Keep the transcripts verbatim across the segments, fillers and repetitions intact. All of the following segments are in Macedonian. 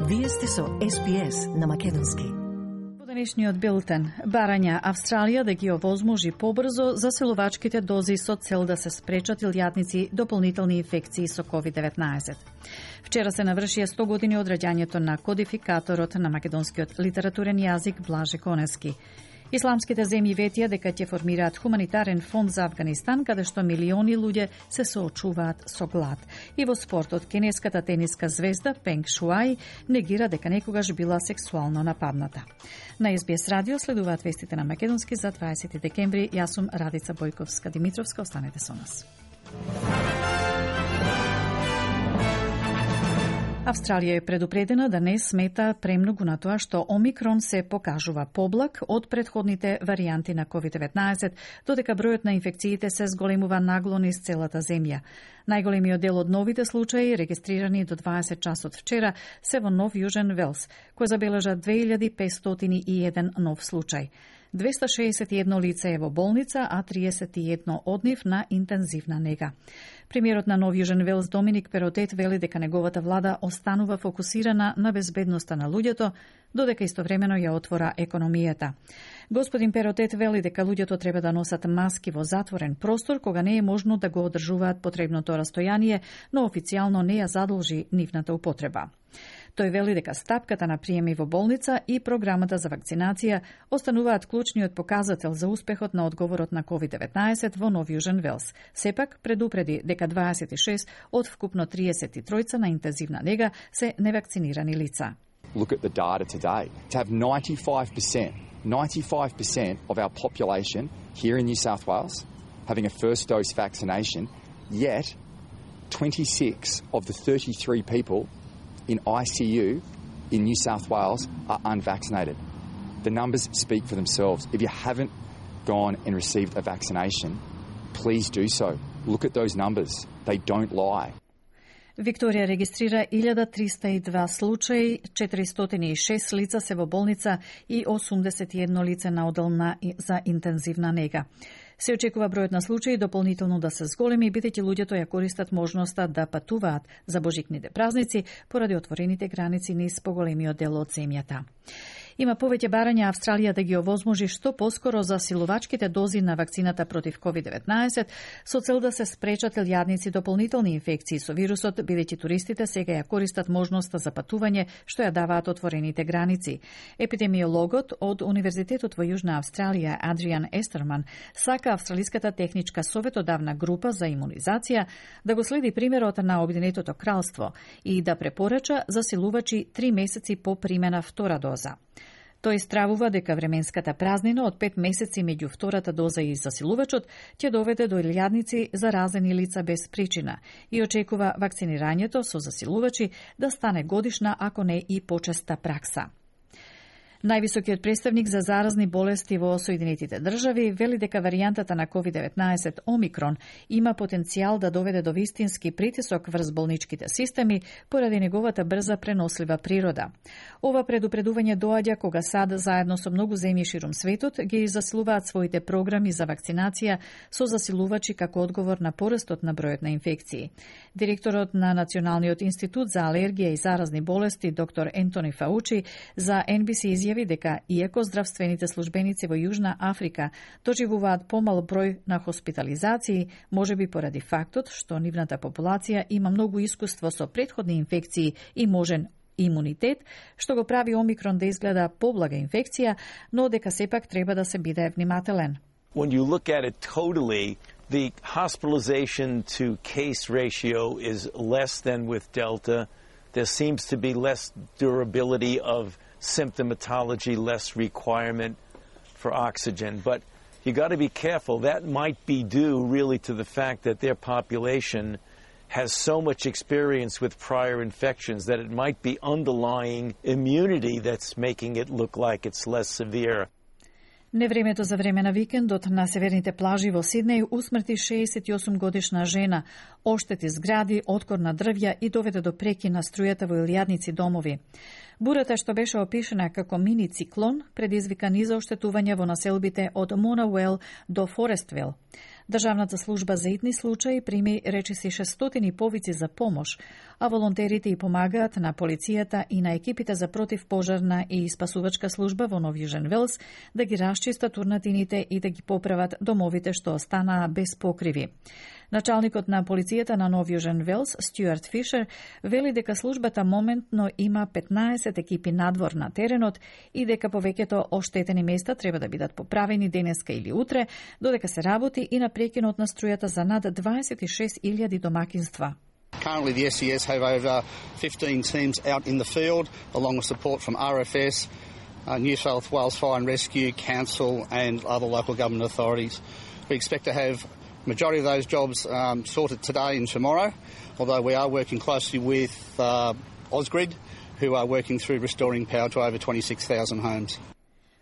Вие сте со Ес Би Ес на македонски. Во денешниот билтен, барања Австралија да ги овозможи побрзо заселувачките дози со цел да се спречат илјадници дополнителни инфекции со ковид деветнаесет. Вчера се навршија сто години од раѓањето на кодификаторот на македонскиот литературен јазик Блаже Коневски. Исламските земји ветија дека ќе формираат хуманитарен фонд за Авганистан, каде што милиони луѓе се соочуваат со глад. И во спортот, кинеската тениска звезда Пенг Шуај негира дека некогаш била сексуално нападната. На Ес Би Ес радио следуваат вестите на македонски за дваесети декември. Јас сум Радица Бојковска-Димитровска. Останете со нас. Австралија е предупредена да не смета премногу на тоа што Омикрон се покажува поблак од претходните варијанти на ковид деветнаесет, додека бројот на инфекциите се зголемува нагло низ целата земја. Најголемиот дел од новите случаи, регистрирани до дваесет часот вчера, се во Нов Јужен Велс, кој забележа две илјади петстотини и еден нов случај. двеста шеесет и едно лице е во болница, а триесет и едно од нив на интензивна нега. Премиерот на Нов Јужен Велс Доминик Перотет вели дека неговата влада останува фокусирана на безбедноста на луѓето, додека истовремено ја отвора економијата. Господин Перотет вели дека луѓето треба да носат маски во затворен простор, кога не е можно да го одржуваат потребното растојание, но официјално не ја задолжи нивната употреба. Тој вели дека стапката на приеми во болница и програмата за вакцинација остануваат клучниот показател за успехот на одговорот на ковид деветнаесет во Нов Јужен Велс. Сепак предупреди дека дваесет и шест од вкупно триесет и три на интензивна нега се невакцинирани лица. Look at the data today. To have ninety-five percent, ninety-five percent of our population here in New South Wales having a first dose vaccination, yet twenty-six of the thirty-three people in I C U in New South Wales are unvaccinated. The numbers speak for themselves. If you haven't gone and received a vaccination, please do so. Look at those numbers. They don't lie. Викторија регистрира илјада триста и два случаи, четиристотини и шест лица се во болница и осумдесет и едно лице на одел на за интензивна нега. Се очекува бројот на случаи дополнително да се зголеми, бидејќи луѓето ја користат можноста да патуваат за божикните празници поради отворените граници низ поголемиот дел од земјата. Има повеќе барања Австралија да ги овозможи што поскоро засилувачките дози на вакцината против ковид деветнаесет со цел да се спречат илјадници дополнителни инфекции со вирусот, бидејќи туристите сега ја користат можноста за патување што ја даваат отворените граници. Епидемиологот од Универзитетот во Јужна Австралија Адриан Естерман сака Австралиската техничка советодавна група за имунизација да го следи примерот на Обединетото кралство и да препорача засилувачи три месеци по примена втора доза. Тој стравува дека временската празнина од пет месеци меѓу втората доза и засилувачот ќе доведе до илјадници заразени лица без причина и очекува вакцинирањето со засилувачи да стане годишна, ако не и почеста пракса. Највисокиот представник за заразни болести во Соединетите држави вели дека варијантата на ковид деветнаесет Омикрон има потенцијал да доведе до вистински притисок врз болничките системи поради неговата брза пренослива природа. Ова предупредување доаѓа кога САД заедно со многу земји ширум светот ги засилуваат своите програми за вакцинација со засилувачи како одговор на порастот на бројот на инфекции. Директорот на Националниот институт за алергија и заразни болести доктор Ентони Фаучи за Ен Би Си изјави дека иако здравствените службеници во Јужна Африка доживуваат помал број на хоспитализации, можеби поради фактот што нивната популација има многу искуство со претходни инфекции и можен имунитет, што го прави Омикрон да изгледа поблага инфекција, но дека сепак треба да се биде внимателен. When you look at it totally, the hospitalization to case ratio is less than with Delta. There seems to be less durability of symptomatology, less requirement for oxygen. But you got to be careful. That might be due really to the fact that their population has so much experience with prior infections that it might be underlying immunity that's making it look like it's less severe. Невремето за време на викендот на северните плажи во Сиднеј усмрти шеесет и осум годишна жена, оштети згради, откор на дрвја и доведе до преки на струјата во илјадници домови. Бурата, што беше опишена како мини циклон, предизвика низа оштетување во населбите од Монауел до Форествел. Државната служба за итни случаи прими речиси шестстотини повици за помош, а волонтерите и помагаат на полицијата и на екипите за противпожарна и спасувачка служба во Нов Јужен Велс да ги расчистат урнатините и да ги поправат домовите што останаа без покриви. Началникот на полицијата на Нов Јужен Велс, Стюарт Фишер, вели дека службата моментно има петнаесет екипи надвор на теренот и дека повеќето оштетени места треба да бидат поправени денеска или утре, додека се работи и на прекинот на струјата за над дваесет и шест илјади домакинства. Currently, the S E S have over fifteen teams out in the field, along with support from R F S, uh, New South Wales Fire and Rescue, Council and other local government authorities. We expect to have majority of those jobs um, sorted today and tomorrow, although we are working closely with uh, Ausgrid, who are working through restoring power to over twenty-six thousand homes.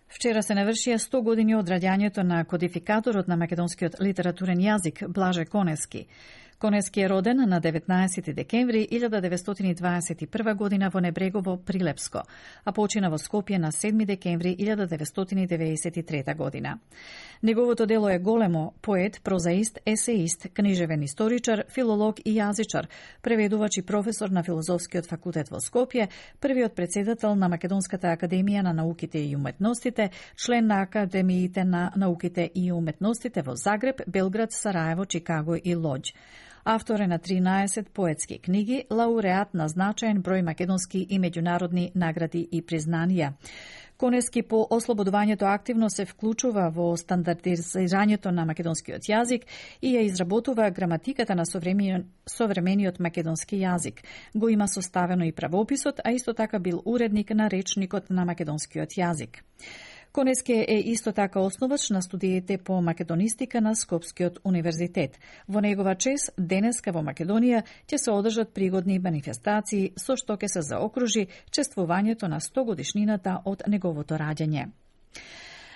Вчера се навршија сто години од раѓањето на кодификаторот на македонскиот литературен јазик Блаже Конески. Конески е роден на деветнаесети декември илјада деветстотини дваесет и прва година во Небрегово, Прилепско, а почина во Скопје на седми декември илјада деветстотини деветдесет и трета година. Неговото дело е големо: поет, прозаист, есеист, книжевен историчар, филолог и јазичар, преведувач и професор на Филозофскиот факултет во Скопје, првиот председател на Македонската академија на науките и уметностите, член на Академиите на науките и уметностите во Загреб, Белград, Сараево, Чикаго и Лоџ. Автор е на тринаесет поетски книги, лауреат на значаен број македонски и меѓународни награди и признанија. Конески по ослободувањето активно се вклучува во стандардизирањето на македонскиот јазик и ја изработува граматиката на современиот македонски јазик. Го има составено и правописот, а исто така бил уредник на речникот на македонскиот јазик. Конески е исто така основач на студиите по македонистика на Скопскиот универзитет. Во негова чест, денеска во Македонија ќе се одржат пригодни манифестации со што ќе се заокружи чествувањето на сто годишнината од неговото раѓање.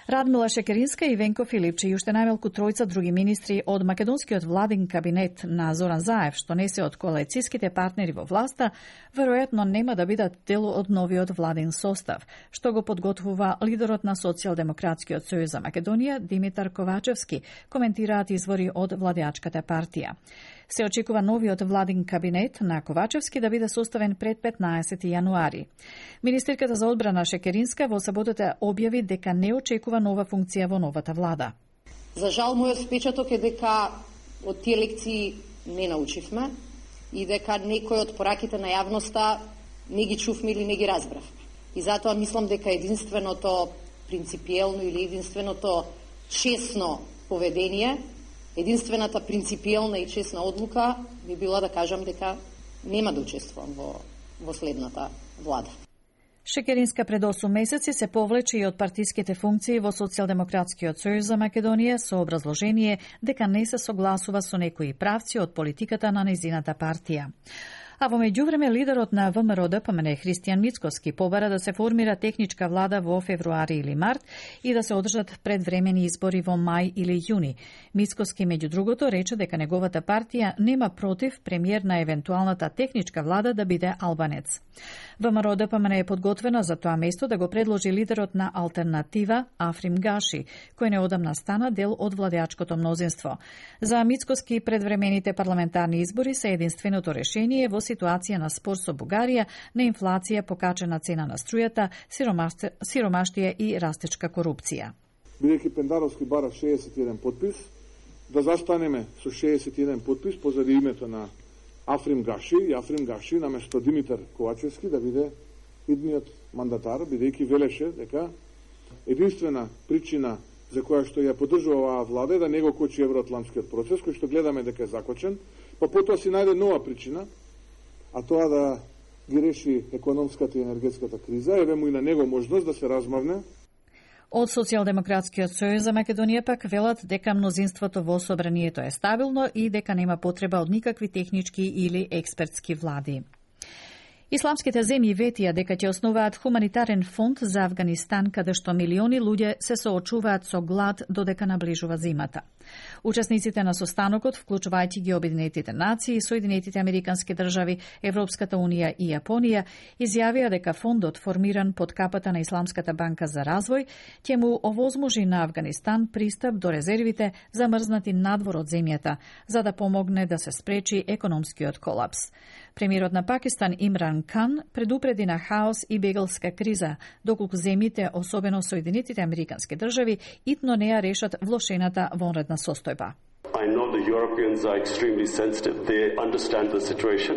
Радмила Шекеринска и Венко Филипче и уште најмалку тројца други министри од македонскиот владин кабинет на Зоран Заев, што не се од коалицијските партнери во власта, веројатно нема да бидат дел од новиот владин состав, што го подготвува лидерот на Социјалдемократскиот сојуз за Македонија Димитар Ковачевски, коментираат извори од владеачката партија. Се очекува новиот владин кабинет на Ковачевски да биде составен пред петнаесети јануари. Министерката за одбрана Шекеринска во саботата објави дека не очекува нова функција во новата влада. За жал, мојот впечаток е дека од тие лекции не научивме и дека некои од пораките на јавноста не ги чувме или не ги разбравме. И затоа мислам дека единственото принципиелно или единственото честно поведение, единствената принципиелна и честна одлука би била да кажам дека нема да учествувам во, во следната влада. Шекеринска пред осум месеци се повлече и од партиските функции во Социјалдемократскиот сојуз за Македонија со образложение дека не се согласува со некои правци од политиката на нејзината партија. А во меѓувреме лидерот на ВМРО-ДПМН Христијан Мицкоски побара да се формира техничка влада во февруари или март и да се одржат предвремени избори во мај или јуни. Мицкоски меѓу другото рече дека неговата партија нема против премиер на евентуалната техничка влада да биде албанец. ВМРО-ДПМН е подготвена за тоа место да го предложи лидерот на алтернатива Африм Гаши, кој неодамна стана дел од владеачкото мнозинство. За Мицкоски предвремените парламентарни избори се единственото решение во ситуација на спор со Бугарија, на инфлација, покачена цена на струјата, сиромаштија и растечка корупција. Бидејќи Пендаровски бара шеесет и еден подпис, да застанеме со шеесет и еден подпис позади името на Африм Гаши и Африм Гаши наместо Димитар Ковачевски да биде идниот мандатар, бидејќи велеше дека единствена причина за која што ја поддржува оваа влада е да не го кочи евроатлантскиот процес, кој што гледаме дека е закочен, па потоа си најде нова причина, а тоа да ги реши економската и енергетската криза, еве му и на него можност да се размавне. Од Социјалдемократскиот сојуз за Македонија пак велат дека мнозинството во собранието е стабилно и дека нема потреба од никакви технички или експертски влади. Исламските земји ветија дека ќе основаат хуманитарен фонд за Авганистан, каде што милиони луѓе се соочуваат со глад додека наближува зимата. Учесниците на состанокот, вклучувајќи ги Обединетите нации, Соединетите Американски држави, Европската унија и Јапонија, изјавија дека фондот, формиран под капата на Исламската банка за развој, ќе му овозможи на Авганистан пристап до резервите замрзнати надвор од земјата, за да помогне да се спречи економскиот колапс. Премиерот на Пакистан Имран Кан предупреди на хаос и бегалска криза, доколку земјите, особено Соединетите Американски држави, итно не ја решат влошената вонредна состојба. I know the Europeans are extremely sensitive. They understand the situation.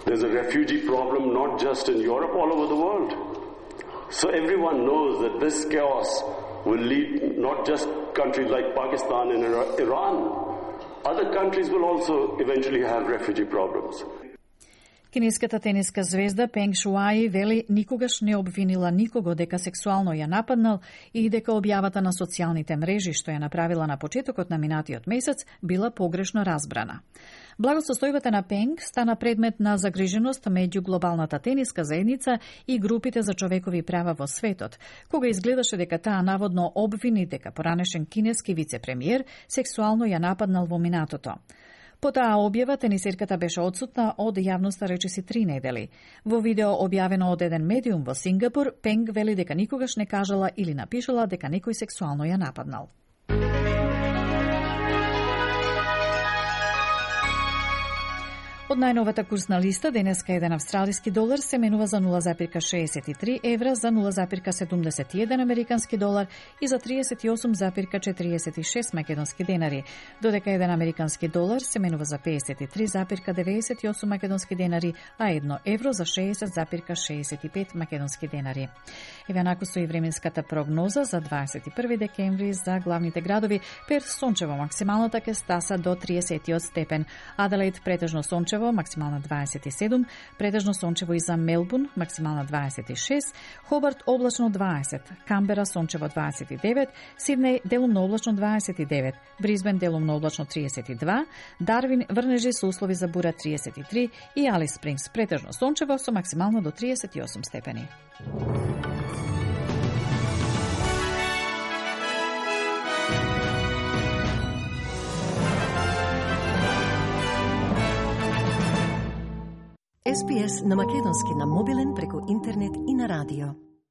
There's a refugee problem not just in Europe, all over the world. So everyone knows that this chaos will lead not just countries like Pakistan and Iran. Other countries will also eventually have refugee problems. Кинеската тениска звезда Пенг Шуаи вели никогаш не обвинила никого дека сексуално ја нападнал и дека објавата на социјалните мрежи што ја направила на почетокот на минатиот месец била погрешно разбрана. Благосостојбата на Пенг стана предмет на загриженост меѓу глобалната тениска заедница и групите за човекови права во светот, кога изгледаше дека таа наводно обвини дека поранешен кинески вице-премиер сексуално ја нападнал во минатото. По таа објава, тенисерката беше одсутна од јавноста речиси три недели. Во видео објавено од еден медиум во Сингапур, Пенг вели дека никогаш не кажала или напишала дека некој сексуално ја нападнал. Од најновата курсна листа, денеска еден австралиски долар се менува за нула запирка шеесет и три евра, за нула запирка седумдесет и еден американски долар и за триесет и осум запирка четириесет и шест македонски денари, додека еден американски долар се менува за пеесет и три запирка деветдесет и осум македонски денари, а едно евро за шеесет запирка шеесет и пет македонски денари. Еве наку со и временската прогноза за дваесет и први декември за главните градови: Перт сончево, максималната ќе стаса до триесет степен, Аделаид претежно сончево, максимална дваесет и седум, претежно сончево и за Мелбурн, максимална дваесет и шест, Хобарт облачно дваесет, Камбера сончево дваесет и девет, Сиднеј делумно облачно дваесет и девет, Бризбен делумно облачно триесет и два, Дарвин врнежи со услови за бура триесет и три и Алис Спрингс претежно сончево со максимално до триесет и осум степени. Ес Би Ес на македонски на мобилен преку интернет и на радио.